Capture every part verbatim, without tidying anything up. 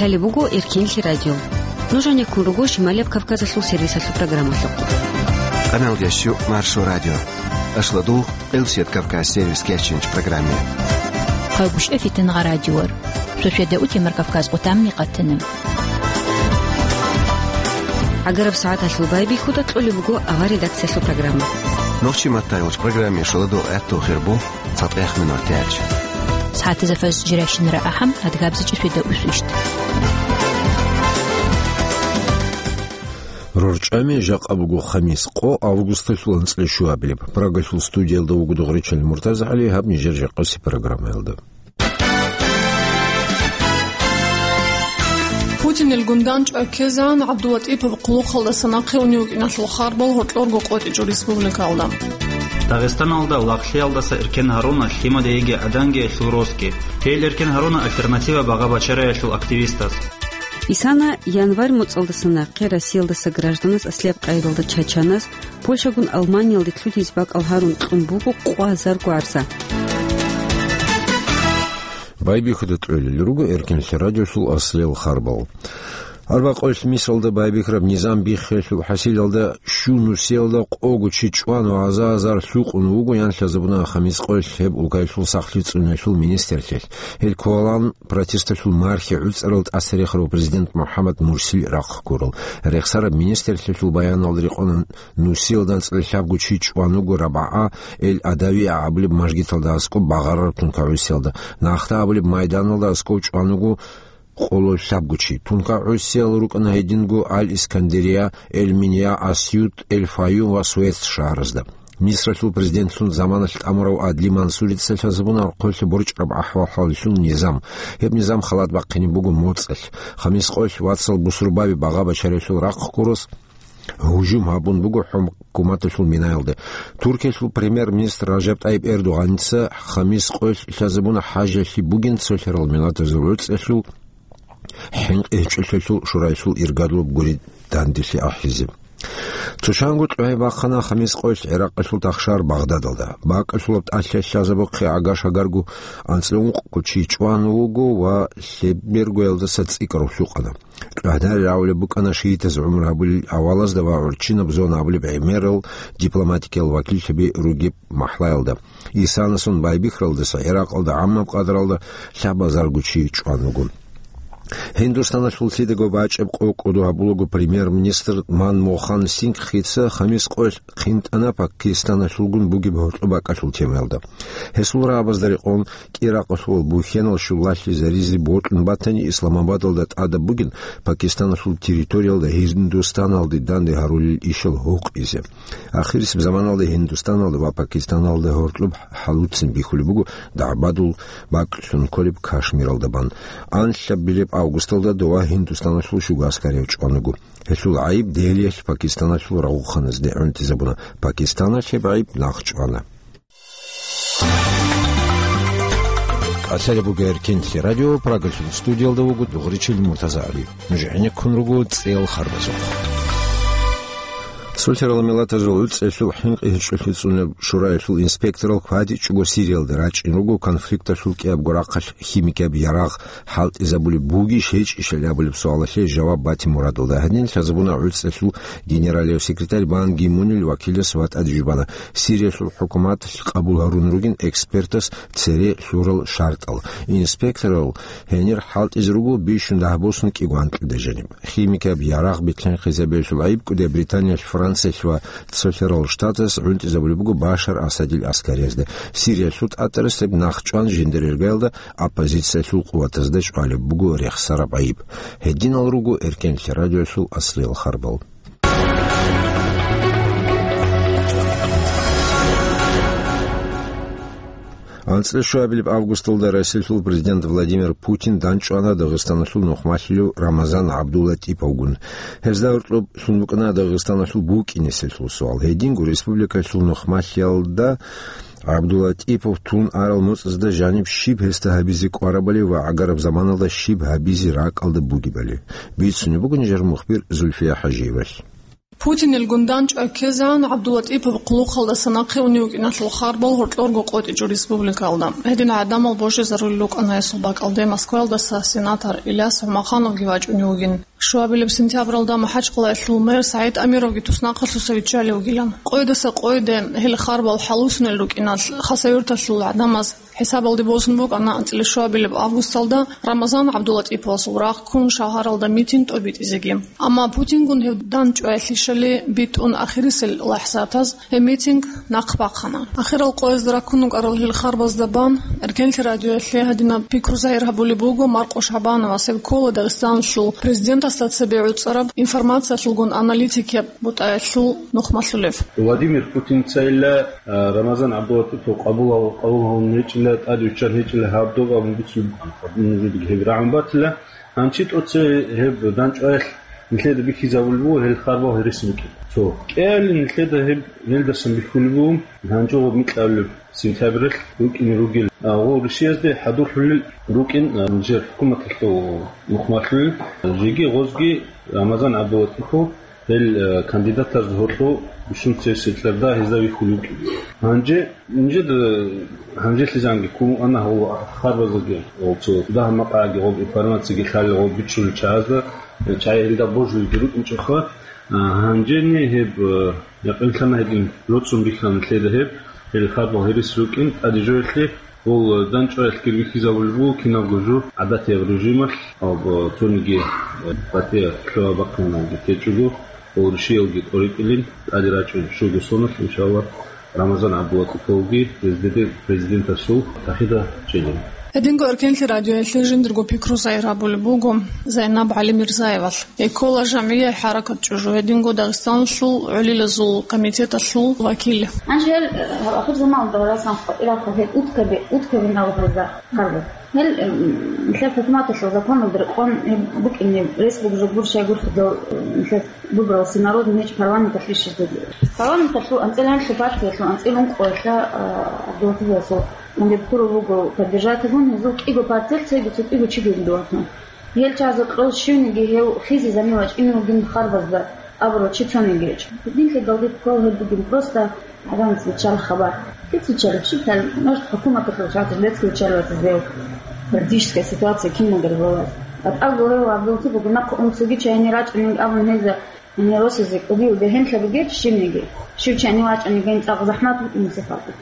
Гьале буго Эркенлъи радио. Нуж гьанеккун руго Шималияб Кавказалъул сервисалъул программалъухъ. Къаналдящу Маршо радио. Ашладугъ Элсет Кавказ сервис кечинч программе. Къагушев Фитнагъа радиор. Сосведа утемар Кавказ къутамни къатана. ГӀагараб сагӀаталъул байбихьуда кьолеб буго авар редакциялъул программа. Нохчи маттайолч программе шоладо гӀатту хирбу. ЦатӀех минут тяч. СагӀатазда фаз жиращинара ахӀам, адгабзичӀи светда усвищт. РорчӀами жакъа буго хамис, къо августалъул анцӀила щуабилеб. Прагалъул студиялда вуго Дугъричал МуртазагӀали, гьаб нижер жакъаси программаялда. Путинил гундан чӀвай ккезегӀан ГӀабдулатӀипов хъулухъалдаса нахъе унев вукӀиналъул харбал гьоркьорго къотӀичӀо республикалда. Дагъистаналда лагълъиялдаса эркен гьаруна лъимадаги гӀаданги элъул росги. Гьел эркен гьаруна «Альтернатива» багъа-бачараялъул активистаз. Исана январь моцӀалдаса нахъе Россиялдаса гражданас аслияб къайдалда чачанас Польшагун Алманиялде лъудизе бакӀал гьарун кьун буго къо гьазарго гӀарза. Байбихьуда кьолел руго Эркенлъи радиолъул аслиял харбал. Арбакъойлъ мисалда байбихьараб низам биххиялъул хӀасилалда щу нусиялда къого чи чӀван ва гьаза-гьазар лъукъун вуго, ян лъазабуна хамис къойлъ гьеб улкаялъул сахлъи цӀуниялъул министрлъилъ. Гьел кколаан протесталъул мархи гӀуцӀарал тӀасарихарав президент МухӀаммад Мурсил рахъ гурал. Рехсараб министрлъилъул баяналда рекъона нусиялда анцӀила лъабго чи чӀван вуго РабгӀа Эль-Адавия абулеб мажгиталда аскӀоб багъарараб тункагӀусиялда. Нахда абулеб майданалда аскӀов чӀван вуго къоло лъабго чи. ТункагӀусиял рукӀана гьединго Аль-Искандерия, Эль-Минья, Асьют, Эль-Фаюм ва Суэц шагьаразда. Мисралъул президентлъун заманалъ тӀамурав Адли Мансурица лъазабуна архъоялъе борчӀараб ахӀвал-хӀаллъун низам. Гьеб низам халат бахъине буго моцӀалъ. Хамис къоялъ вацал бусурбаби багъа-бачариялъул рахъ гурос гьужум гьабун буго хӀукуматалъул минаялде. Туркиялъул премьер-министр Ражаб ТӀайиб Эрдогъаница хамис къоялъ лъазабуна хӀажалъи бугин цолъарал миллатазул гӀуцӀиялъул хӀинкъи гьечӀолъиялъул шураялъул иргадул гури данделъи ахӀизе. Цо чанго кьогьи бахъана хамис къоялъ ГӀиракъалъул тахшар Багъдадалда. БакӀалъулаб тӀалъи лъазабухъе гӀага-шагарго анцӀила ункъго чи чӀван вуго ва лъебергоялдаса цӀикӀкӀарав лъукъана. КьогӀдарил гӀавулеб букӀана шиитаз гӀумру гьабулел авалазда ва гӀурччинаб зона абулеб гӀемерал дипломатикиял вакиллъаби ругеб махӀлаялда. Исанасун байбихьаралдаса ГӀиракъалда гӀаммаб къадралда лъабазарго чи чӀван вуго. Гьиндустаналъул лъидаго бачӀеб къо кӀодо гьабулаго премьер-министр Манмохан Сингхица хамис къоялъ хъинтӀана Пакистаналъулгун бугеб гьоркьоб бакӀалъул темаялда. Гьесул рагӀабазда рекъон, КӀиракъалъувал бухьенал щулалъизаризе бокьун батани, Исламабадалда тӀадаб бугин Пакистаналъул территориялда Гьиндустаналде данде гьарулел ишал гьукъизе. Ахирисеб заманалда Гьиндустаналда ва Пакистаналда гьоркьоб хӀалуцин бихьулеб буго дагӀбадул бакӀлъун кколеб Кашмиралда бан. Анлъабилеб августалда дова Гьиндустаналъул щуго аскарияв чӀван вуго. Гьелъул гӀайиб Делиялъ Пакистаналъул рагъухъаназде гӀунтӀизабуна. Пакистаналъ гьеб гӀайиб нахъчӀвана. Асари буго Эркенлъи радио, Прагалъул студиялда вуго Дугъричил МуртазагӀали. Нуж гӀенеккун руго цӀеял харбазухъ. Сулъарал миллатазул гӀуцӀиялъул хӀинкъи гьечӀолъи цӀунеб шураялъул инспекторал квадичӀого Сириялда рачӀин руго конфликталъул кӀиябго рахъалъ химикияб ярагъ хӀалтӀизабулеб бугищ гьечӀищали абулеб суалалъе жаваб батин мурадалда гьадин лъазабуна гӀуцӀиялъул генералияв секретарь Бан Ги Мунил вакилас ва тӀаде жубана Сириялъул хӀукуматалъ къабул гьарун ругин экспертас цере лъурал шартӀал. Инспекторал гьенир хӀалтӀизе руго бищун дагьаб босун кӀиго анкьида жаниб. Химикияб ярагъ бетӀерхъизабиялъул гӀайиб кӀудияб Британиялъ, Франциялъ ва Цолъарал Штатас гӀунтӀизабулеб буго Башар Асадил аскариязда. Сириялъул тӀатӀарас гьеб нахъчӀван жиндир иргаялда оппозициялъул къуватазда чӀвалеб буго рехсараб гӀайиб. Гьединал руго Эркенлъи радиоялъул аслиял харбал. АнцӀила щуабилеб августалда Россиялъул президент Владимир Путин данчӀвана Дагъистаналъул нухмалъулев Рамазан ГӀабдулатӀиповгун. Гьезда гьоркьоб лъун букӀана Дагъистаналъул букӀинеселъул суал. Гьединго республикалъул нухмалъиялда ГӀабдулатӀипов тун арал моцӀазда жаниб щиб гьесда гьабизе кӀварабали ва гӀагараб заманалда щиб гьабизе ракӀалда бугебали. Бицунеб буго нижер мухбир Зульфия ХӀажиевалъ. Путинил гундан чӀвай ккезегӀан ГӀабдулатӀипов хъулухъалдаса нахъе унев вукӀиналъул харбал гьоркьорго къотӀичӀо республикаялда. Гьедин гӀадамал божизарулел рукӀана гьесул бакӀалде Москваялдаса сенатор Иляс ГӀумахановги вачӀунев вугин. Щуабилеб сентябралда МахӀачкъалаялъул мэр СагӀид Амировги туснахъалъуса виччалев вугилан. Къойдаса къойде гьел харбал хӀалусунел рукӀиналъ Хасавюрталъул гӀадамаз хӀисабалде босун букӀана анцӀила щуабилеб августалда Рамазан ГӀабдулатӀиповасул рагъ ккун шагьаралда митинг тӀобитӀизеги. Амма Путингун гьев данчӀваялъищали битӀун ахирисел лахӀзатаз гьеб митинг нахъ бахъана. Ахирал къоязда раккун рукӀарал гьел харбазда бан, Эркенлъи радиоялъе гьадинаб пикру загьир гьабулеб буго Маркъо ШагӀбановас, гьев ккола Дагъистаналъул президентасда цебе гӀуцӀараб информациялъулгун аналитикияб бутӀаялъул нухмалъулев. Владимир Путинцайилла, а, Рамазан ГӀабдулатӀипов къабул гьав-, къабул гьавун гьечӀила, тӀаде виччан гьечӀила гьаб доб абун бицун букӀана. Гьаб нужедаги гьеб рагӀун батила. Гьанчи тӀоцебе гьеб данчӀваялъ нилъеда бихьизабулеб буго гьел харбал гьересин букӀин. Цо кӀиялин нилъеда гьеб гьелдасан бихьулеб буго, гьанже гъоб микьабилеб сентябралъ рукӀине ругел, а, гъов Русиязде хӀадурлъулел рукӀин, а, нижер хӀукуматалъул нухмалъулел, жеги гъозги Рамазан ГӀабдулатӀипов гьел, а, кандидатазда гьоркьо бищун цересел тӀарда гьезда вихьулев вукӀин. Гьанже Нижеда гьанжелъизанги ккун ана гьав харбазеги, гьав цо дагь-макъаги, гьав информациги лъалел, гьав бичӀчӀулел чагӀазда, чагӀи гьелда божулги рукӀинчӀоха. А, гьанжени гьеб, э, якъинлъана гьедин, роцун бихьана лъеда гьеб, гьел харбал гьерес рукӀин, тӀаде жоялъе, гьол данчӀваялъги бихьизабулеб буго кинабго жо гӀадатияб режималъ, гьав, э, цониги, э, батӀияб лъугьа-бахъинаги течӀого, гьол рушиялги тӀоритӀилин, тӀаде рачӀун щуго соналъ, иншаллагь. Рамазан ГӀабдулатӀиповги гьезде президентасул тахида чӀезабун. Гьединго Эркенлъи радиоялъе жиндирго пикру загьир гьабулеб буго Зайнаб ГӀалимирзаевалъ. Гьей ккола жамгӀияй хӀаракат ЧӀужу, гьединго Дагъистаналъул гӀолилазул комитеталъул вакил. Гьанже гьел, э, ахир заманалда расан хъвараб гьел уткаби-, уткабин абуралда харбу. Гьел, э, нилъер хӀукуматалъул законалда рекъон гьеб букӀине, рес бугеб жо гур щай гурхӀидал, э, нилъер выбрал всенародный меч парламенталъ рищизе. Парламенталъул анцӀила гьанлъи партиялъул анцӀила ункъоялъа, а, ГӀабдулатиповасул кандидатура буго поддержать гьабун, гьезул кӀиго партиялъ цеги цо кӀиго чиги дугьатун. Гьел чагӀазул кьол щивниги гьев хизе замин вачӀине вугин харбазда абурав чи цониги гьечӀо. Гьединлъидалги ккол гьеб бугин просто гӀадамаца биччараб хабар. Кица биччараб щиб, гьал, может, хӀукуматалъул чагӀазда децӀги биччараб ватизе, политическая ситуация киналго ралас. БатӀал гурев ГӀабдулатипов нахъа унцаги чайни рачӀунин абун гьезда Гьанир росизе кӀудияв бегьенлъа бугеб щибниги, щив чани вачӀани гьениб цӀакъ захӀмат букӀине сихалда.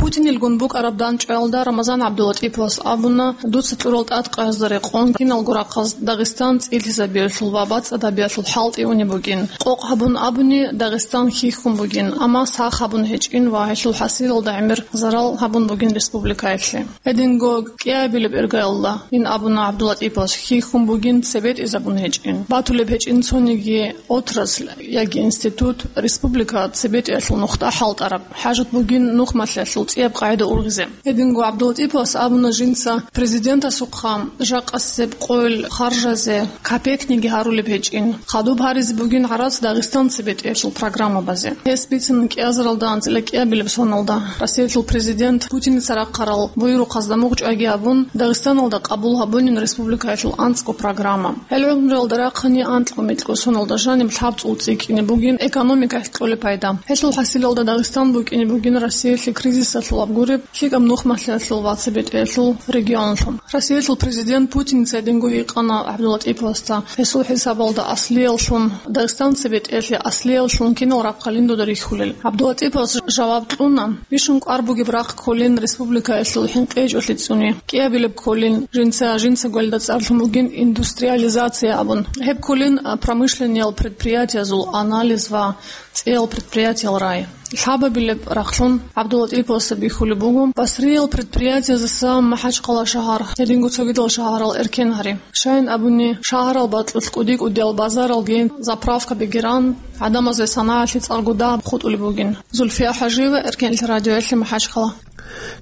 Путинилгун букӀараб данчӀваялда Рамазан ГӀабдулатӀиповас абуна, дуца кьурал тӀадкъазда рекъон киналго рахъаз Дагъистан цӀилъизабиялъул ва бацӀцӀадабиялъул хӀалтӀи унеб бугин. Къокъ гьабун абуни, Дагъистан хьихьун бугин, амма сах гьабун гьечӀин ва гьелъул хӀасилалда гӀемер зарал гьабун бугин республикаялъе. Гьединго кӀиабилеб иргаялда ин абуна ГӀабдулатӀиповас, хьихьун бугин, цебетӀизабун гьечӀин. Батулеб гьечӀин цониги отрасль яги институт, республика цебетӀиялъул нухда хӀалтӀараб, хӀажат бугин нухмалъиялъул цӀияб къагӀида ургъизе. Гьединго ГӀабдулатӀиповас абуна жинца президентасухъа жакъасеб къойил харжазе капекниги гьарулеб гьечӀин. Хадуб гьаризе бугин гӀарац Дагъистан цебетӀиялъул программабазе. Гьес бицина кӀиазаралда анцӀила кӀиабилеб соналда Россиялъул президент Путиница рахъарал буюрухъазда мугъчӀвайги абун, Дагъистаналда къабул гьабунин республикаялъул анцӀго программа. Гьел гӀумруялда рахъани анкьго-микьго соналда жаниб лъабцӀул цӀикӀкӀине бугин экономикаялъ кьолеб пайда. Гьелъул хӀасилалда Дагъистан букӀине бугин Россиялъе кризисалъул абгуреб, лъикӀаб нухмалъиялъул ва цебетӀиялъул регионлъун. Россиялъул президент Путиница гьединго гьикъана ГӀабдулатӀиповасда, гьесул хӀисабалда аслияллъун, Дагъистан цебетӀиялъе аслиявлъун кинал рахъалин дуда рихьулел. ГӀабдулатӀиповас жаваб кьуна: бищун кӀвар бугеб рахъ кколин республикаялъул хӀинкъичӀолъи цӀуни. КӀиабилеб кколин, жинца, жинцаго гьелда цӀарлъун бугин индустриализация абун. Гьеб кколин, а, промышленниял предприятиязул анализ ва цӀиял предприятиял рай. Лъабабилеб рахълъун ГӀабдулатӀиповасда бихьулеб буго Басриял предприятиязеса МахӀачхъала шагьар, гьединго цогидал шагьарал эркен гьари. Щайин абуни, шагьарал бакьулъ кӀуди-кӀудиял базаралги, заправкабиги ран, гӀадамазе санагӀалъи цӀакъго дагьаб хутӀулеб бугин. Зульфия ХӀажиева, Эркенлъи радиоялъе, МахӀачхъала.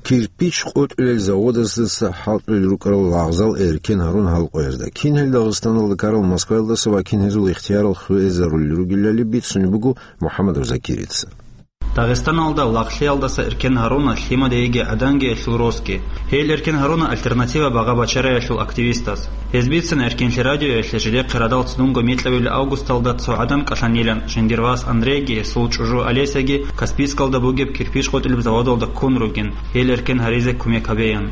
Кирпич къотӀулел заводасдаса хӀалтӀулел рукӀарал лагъзал эркен гьарун гьал къоязда. Кин гьел Дагъистаналда ккарал Москваялдаса ва кин гьезул ихтиярал хвезарулел ругелали бицунеб буго МухӀаммадов Закирица. Дагъистаналда лагълъиялдаса эркен гьаруна лъимадаги гӀаданги элъул росги. Гьел эркен гьаруна «Альтернатива» багъа-бачараялъул активистаз. Гьез бицана «Эркенлъи» радиоялъе жидехъе радал цӀунго микьабилеб августалда цо гӀадан кӀалъанилан, жиндир вас Андрейги гьесул чӀужу Олесяги Каспийскалда бугеб кирпич къотӀулеб заводалда ккун ругин, гьел эркен гьаризе кумек гьабеян.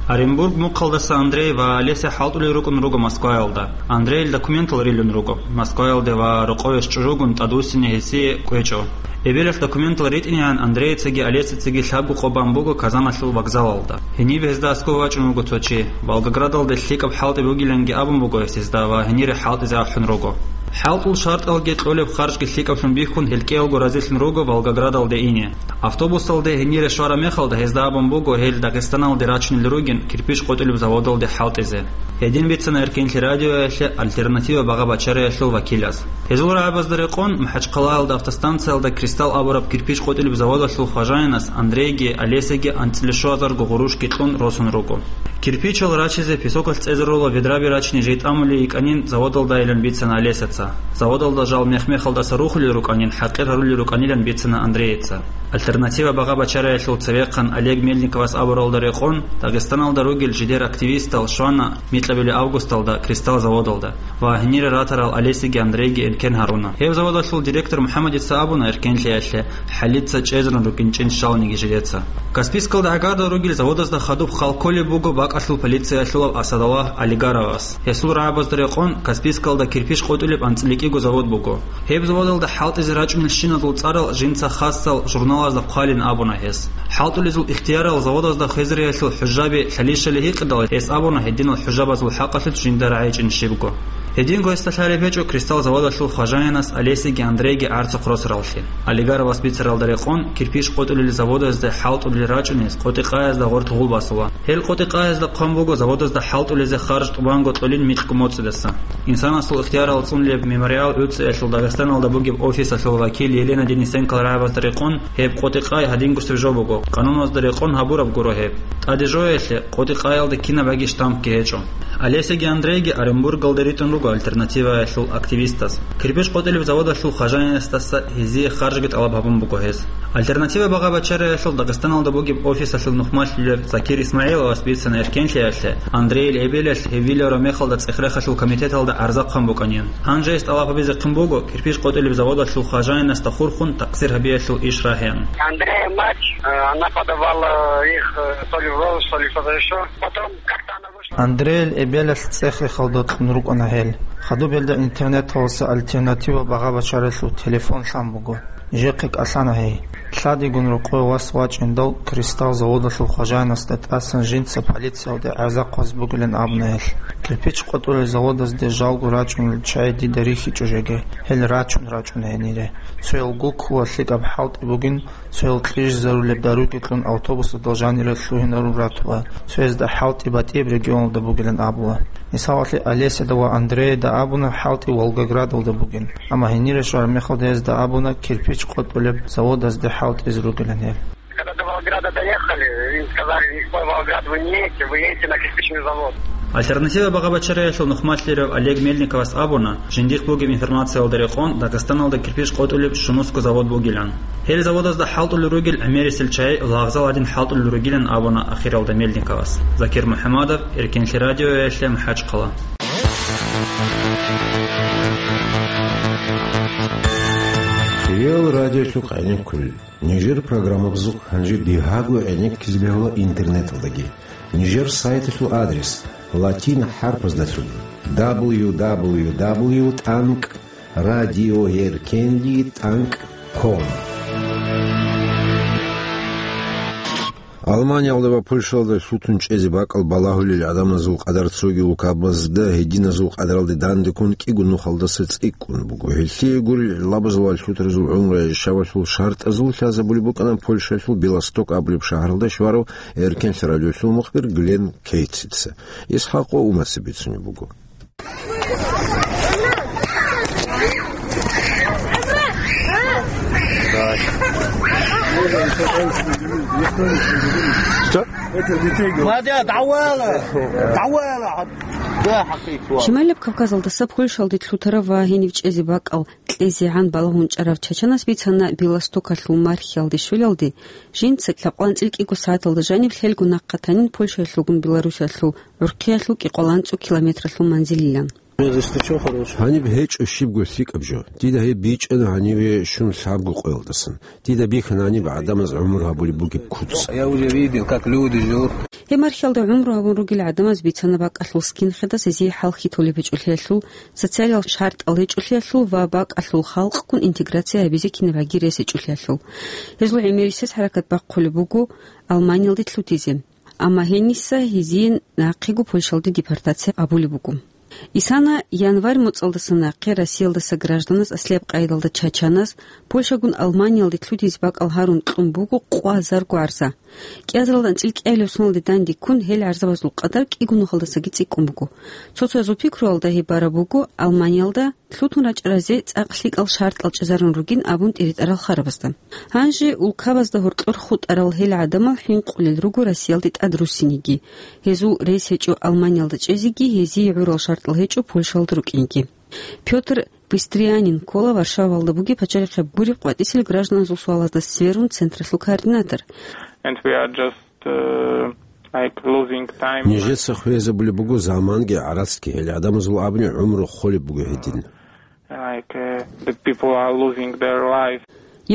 Оренбург мухъалдаса Андрей ва Олеся хӀалтӀулел рукӀун руго Москваялда. Андрейил документал рилун руго Москваялде ва рокъовеш чӀужугун тӀадвуссине гьесие кӀвечӀо. Эбелалъ документал ритӀинегӀан Андрейицаги Олесицаги лъабго къо бан буго Казаналъул вокзалалда. Гьениб гьезда аскӀов вачӀун вуго цо чи. Волгоградалде лъикӀаб хӀалтӀи бугиланги абун буго гьес гьезда ва гьенире хӀалтӀизе ахӀун руго. ХӀалтӀул шартӀалги кьолеб харжги лъикӀаблъун бихьун, гьел кӀиялго разилъун руго Волгоградалде ине. Автобусалде гьенире щвараб мехалда гьезда абун буго гьел Дагъистаналде рачунел ругин кирпич къотӀулеб заводалде хӀалтӀизе. Гьедин бицана «Эркенлъи» радиоялъе «Альтернатива» багъа-бачараялъул вакилас. Гьезул рагӀабазда рекъон, МахӀачхъалаялда автостанциялда «Кристалл» абураб кирпич къотӀулеб заводалъул хважаянас Андрейги Олесяги анцӀила щуазарго гъурущги кьун росун руго. Кирпичал рачизе песокалъ цӀезарула ведраби рачине жей тӀамулей йикӀанин заводалдайилан бицана Олесяца. Заводалда жал мех-мехалдаса рухулел рукӀанин хӀакъир гьарулел рукӀанилан бицана Андрейица. «Альтернатива» багъа-бачараялъул цевехъан Олег Мельниковас абуралда рекъон, Дагъистаналда ругел жидер активистал щвана микьабилеб августалда «Кристалл» заводалда ва гьенире ратарал Олесиги Андрейги эркен гьаруна. Гьеб заводалъул директор МухӀамадица абуна «Эркенлъиялъе» хӀалица чӀезарун рукӀинчӀин щалниги жидеца. Каспийскалда гӀагардал ругел заводазда хадуб хал кколеб буго бакӀалъул полициялъулав Асадаллагь Алигаровас. Гьесул рагӀабазда рекъон, Каспийскалда кирпич къотӀулеб анцӀила кӀиго завод буго. Гьеб заводалда хӀалтӀизе рачӀунелщиназул цӀарал жинца хасал журналазда хъвалин абуна гьес. ХӀалтӀулезул ихтиярал заводазда хвезариялъул хӀужаби лъалищали гьикъидал, гьес абуна гьединал хӀужабазул хӀакъалъулъ жинда рагӀичӀин щибго. Гьединго гьесда лъалеб гьечӀо «Кристалл» заводалъул хважаянас Олесиги Андрейги гӀарцухъ росараллъи. Олигаровас бицаралда рекъон, кирпич къотӀулел заводазде хӀалтӀулел рачӀунез къотӀи-къаязда гъоркь гъул басула. Гьел къотӀи-къаязда хъван буго заводазда хӀалтӀулезе харж тӀубанго кьолин микьго моцӀидаса. Инсанасул ихтиярал цӀунулеб «Мемориал» гӀуцӀиялъул Дагъистаналда бугеб офисалъул вакил Елена Денисенкол рагӀабазда рекъон, гьеб къотӀи-къай гьадингусеб жо буго, къануналда рекъон гьабураб гуро гьеб. ТӀаде жоялъе, къотӀи-къаялда кинабаги штампги гьечӀо. Олесиги Андрейги Оренбургалде ритӀун руго «Альтернативаялъул» активистаз. Кирпич къотӀулеб заводалъул хважаянасдаса гьезие харжги тӀалаб гьабун буго гьез. «Альтернатива» багъа-бачараялъул Дагъистаналда бугеб офисалъул нухмалъулев Закир Исмагьиловас бицана «Эркенлъиялъе» Андрейил эбелалъ гьев виларав мехалда цӀех-рехалъул комитеталда гӀарза хъван букӀанин. Гьанже гьес тӀалаб гьабизехъин буго кирпич къотӀулеб заводалъул хважаянасда хурхун такъсир гьабиялъул иш рагьеян. Андрея мать, э, она подавала их, э, то ли в розыск, то ли что-то ещё. Потом как-то она вышла. Андрейил эбелалъ цӀех-рехалда кьун рукӀана гьел. Хадуб гьелда интернеталдаса «Альтернатива» багъа-бачараялъул телефон лъан буго. Нижехъе кӀалъана гьей. Лъадигун рокъове вас вачӀиндал, «Кристалл» заводалъул хважаянасда тӀасан жинца полициялде гӀарза хъваз бугилан абуна гьелъ. Кирпич къотӀулел заводазде жалго рачӀунел чагӀи дида рихьичӀо жеги. Гьел рачун-рачӀун гьенире. Цоял гуккула лъикӀаб хӀалтӀи бугин, цоял кьижизарулеб даруги кьун автобусалда жанире лъугьинарун ратула, цоязда хӀалтӀи батӀияб регионалда бугилан абула. Мисалалъе, Олесяда ва Андреяда абуна хӀалтӀи Волгоградалда бугин, амма гьенире щвараб мехалда гьезда абуна кирпич къотӀулеб заводазде хӀалтӀизе ругилан гьел. Когда до Волгограда доехали, им сказали: «Никакой Волгоград вы не едете, вы едете на кирпичный завод». «Альтернатива» багъа-бачараялъул нухмалъулев Олег Мельниковас абуна, жиндихъ бугеб информациялда рекъон, Дагъистаналда кирпич къотӀулеб щунусго завод бугилан. Гьел заводазда хӀалтӀулел ругел гӀемерисел чагӀи лагъзал гьадин хӀалтӀулел ругилан абуна ахиралда Мельниковас. Закир МухӀамадов, «Эркенлъи» радиоялъе, МахӀачхъала. Реал радиолъухъ гӀенекке кколел нижер программабазухъ гьанже дагьабго гӀенеккизе бегьула интернеталдаги. Нижер сайталъул адрес латин хӀарпаздалъун: дабл ю дабл ю дабл ю тӀанкӀ радиоэркенлъи тӀанкӀ ком. Алманиялда ва Польшаялда лъутун чӀезе бакӀал балагьулел гӀадамазул къадар цоги улкабазда гьединазул къадаралде дандеккун кӀиго нухалдаса цӀикӀкӀун буго. Гьелъие гурел гӀиллабазул ва лъутаразул гӀумру гӀишабалъул шартӀазул лъазабулеб букӀана Польшаялъул Белосток абулеб шагьаралда щварав Эркенлъи радиоялъул мухбир Глен Кейтица. Исхакъ ва Умаца бицунеб буго. Что? Мадя, давала! Давала! Шималаб Кавказалдаса Польшалде лъутарав ва гьенив чӀезе бакӀал кьезегӀан балагьун чӀарав чачанас бицана Белостокалъул мархиялде щвелалде, жинца лъабкъоялда анцӀила кӀиго сагӀаталда жаниб лъелго нахъа танин Польшаялъулгун Беларусиялъул гӀурхъиялъул кӀикъоялда анцӀила километралъул манзилилан. Гьаниб гьечӀо щибго лъикӀаб жо. Дида гьеб бичӀчӀана гьаниве щун лъабго къоялдасан. Дида бихьана гьаниб гӀадамаз гӀумру гьабулеб бугеб куц. Я уже видел, как люди живут. Гьеб мархиялда гӀумру гьабун ругел гӀадамаз бицана бакӀалъул скинхедас гьезие хӀалхьи толеб гьечӀолъиялъул, социалиял шартӀал гьечӀолъиялъул ва бакӀалъул халкъгун интеграция гьабизе кинабгӀаги рес гьечӀолъиялъул. Гьезул гӀемерисез хӀаракат бахъулеб буго Алманиялде лъутизе. Амма гьениса гьезие нахъего Польшалде депортация гьабулеб буго. Исана январь моцӀалдаса нахъе Россиялдаса гражданас аслияб къайдалда чачанас Польшагун Алманиялде лъутизе бакӀал гьарун кьун буго къвазарго гӀарза. КӀиазаралда анцӀила кӀиабилеб соналде данде ккун, гьел гӀарзабазул къадар кӀиго нухалдасаги цӀикӀкӀун буго. Цо-цоязул пикруялда гьеб бараб буго Алманиялда лъутун рачӀаразе цӀакъ лъикӀал шартӀал чӀезарун ругин абун тӀиритӀарал харабазда. Гьанже улкабазда гьоркьор хутӀарал гьел гӀадамал хӀинкъулел руго Россиялде тӀад руссинеги, гьезул рес гьечӀо Алманиялда чӀезеги, гьезие гӀурал шартӀал гьечӀо Польшалда рукӀинеги. Пётр Быстрианин ккола Варшавалда бугеб пачалихъе гуреб къватӀисел гражданазул суалазда сверун централъул координатор. And we are just, uh, like, losing time. Нижеца хвезабулеб буго заманги гӀарацги, гьел гӀадамазул абуни гӀумру холеб буго гьедин. Like, uh, the people are losing their life.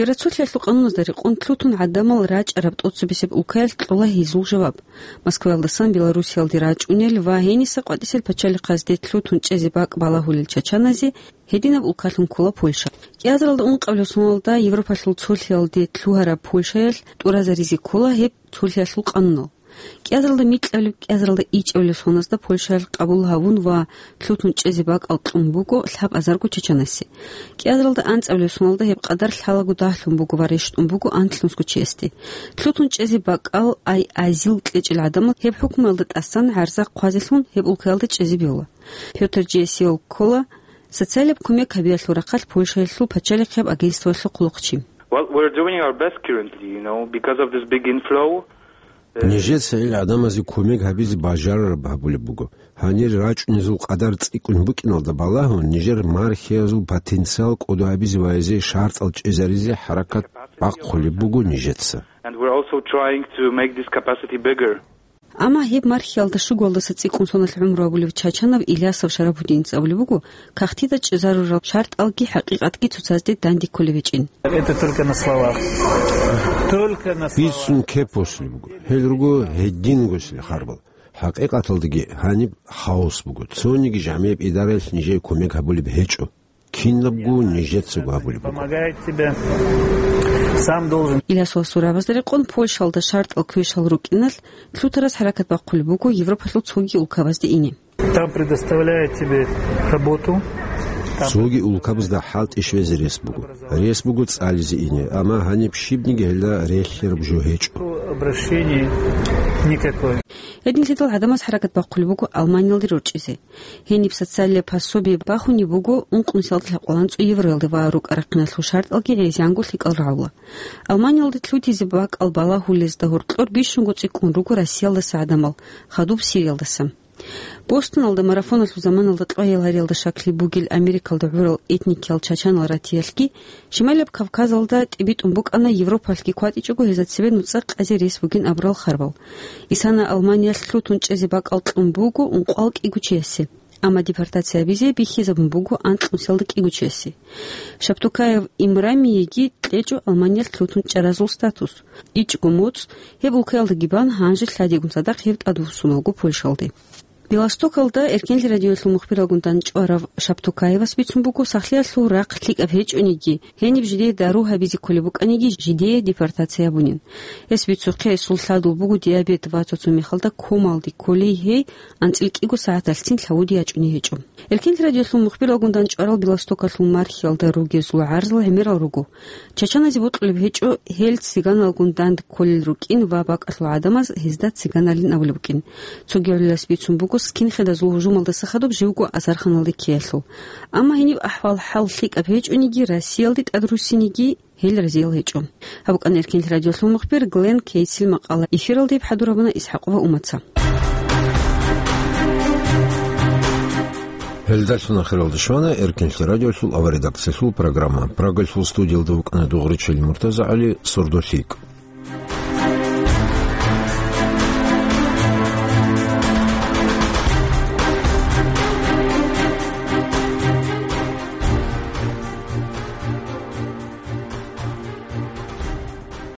Евроцолъиялъул къануназда рекъон лъутун гӀадамал рачӀараб тӀоцебесеб улкаялъ кьола гьезул жаваб. Москваялдасан Белоруссиялде рачӀунел ва гьениса къватӀисел пачалихъазде лъутун чӀезе бакӀ балагьулел чачаназе гьединаб улкалъун ккола Польша. КӀиазаралда ункъабилеб соналда Европалъул цолъиялде лъугьараб Польшаялъ тӀуразаризе ккола гьеб цолъиялъул къанунал. КӀиазаралда микьабилеб, кӀиазаралда ичӀабилеб соназда Польшаялъ къабул гьавун ва лъутун чӀезе бакӀал кьун буго лъабазарго чачанасе. КӀиазаралда анцӀабилеб соналда гьеб къадар лъалаго дагьлъун буго ва рещтӀун буго анлънусго чиясде. Лъутун чӀезе бакӀал, ай азил кьечӀел гӀадамал гьеб хӀукмуялда тӀасан гӀарза хъвазелъун гьеб улкаялда чӀезе бегьула. Пётр Джиэсиол ккола социалияб кумек гьабиялъул рахъалъ Польшаялъул пачалихъияб агентствоялъул хъулухъчи. Well, we're doing our best currently, you know, because of this big inflow. Нижеца гьел гӀадамазе кумек гьабизе бажарараб гьабулеб буго. Гьанир рачӀунезул къадар цӀикӀкӀун букӀиналда балагьун, нижер мархиязул потенциал кӀодо гьабизе ва гьезие шартӀал чӀезаризе хӀаракат бахъулеб буго нижеца. And we're also trying to make this capacity bigger. Амма гьеб мархиялда щугоялдаса цӀикӀкӀун соналъ гӀумру гьабулев чачанав Илясов Шарабудинец абулеб буго, кагътида чӀезарурал шартӀалги хӀакъикъатги цоцазде данде кколеб гьечӀин. Это только на словах. Только на словах. Бицун кеп босулеб буго. Гьел руго гьедин госилел харбал. ХӀакъикъаталдаги гьаниб хаос буго. Цониги жамияб идараялъ нижее кумек гьабулеб гьечӀо. Кинабго нижецаго гьабулеб буго. Помогает тебе. Сам должен. Илясовасул рагӀабазда рекъон Польшалда шартӀал квешал рукӀиналъ лъутарас хӀаракат бахъулеб буго Европалъул цоги улкабазде ине. Там предоставляют тебе работу. Там. Цоги улкабазда хӀалтӀи щвезе рес буго. Рес буго цӀализе ине, амма гьаниб щибниги гьелда релълъараб жо гьечӀо. Обращение никакое. Гьединлъидал гӀадамаз хӀаракат бахъулеб буго Алманиялде рорчӀизе. Гьениб социалияб пособие бахунеб буго ункънусиялда лъабкъоялда анцӀго евроялде ва рукӀа-рахъиналъул шартӀалги гӀезегӀанго лъикӀал рагӀула. Алманиялде лъутизе бакӀал балагьулезда гьоркьор бищунго цӀикӀкӀун руго Россиялдаса гӀадамал, хадуб Сириялдаса. Бостоналда марафоналъул заманалда кьваял гьариялда щаклъи бугел Америкалда гӀурал этникиял чачанал ратиялъги, Шималаб Кавказалда тӀибитӀун букӀана Европалъги кватӀичӀого гьезда цебе нуцӀа къазе рес бугин абурал харбал. Исана Алманиялъ лъутун чӀезе бакӀал кьун буго ункъоялда кӀиго чиясе. Амма депортация гьабизе бихьизабун буго анкьнусиялда кӀиго чиясе. Шаптукаев Имрамиеги кьечӀо Алманиялъ лъутун чӀаразул статус. ИчӀго моцӀ гьеб улкаялдаги бан, гьанже лъадигун цадахъ гьев тӀадвуссуналго Польшалде. Белостокалда Эркенлъи радиоялъул мухбиралгун дандчӀварав Шаптукаевас бицун буго, сахлъиялъул рахъ лъикӀаб гьечӀониги, гьениб жидее дару гьабизе кколеб букӀаниги, жидее депортация гьабунин. Гьес бицухъе, гьесул лъадул буго диабет ва цо-цо мехалда комалде кколей гьей, анцӀила кӀиго сагӀаталъцин лъавуди ячӀуней гьечӀо. Эркенлъи радиоялъул мухбиралгун дандчӀварал Белостокалъул мархиялда ругезул гӀарзал гӀемерал руго. Чачаназе бокьулеб гьечӀо гьел цыганалгун данде кколел рукӀин ва бакӀалъул гӀадамаз гьезда цыганалин абулеб букӀин. Цоги гӀолилас бицун буго скинхедазул гьужумалдаса хадуб живго Азарханалде ккеялъул. Амма гьениб ахӀвал-хӀал лъикӀаб гьечӀониги, Россиялде тӀадруссинеги гьел разиял гьечӀо. Гьаб букӀана Эркенлъи радиоялъул мухбир Глен Кейтсил макъала. Эфиралда гьеб хӀадур гьабуна ИсхӀакъова Уматца. Гьелдалъун ахиралда щвана Эркинлъи радиолъул аваредакциялъул программа. Прагалъул студиялда вукӀана дугӀричил МуртазагӀали, «Сордолъикъ».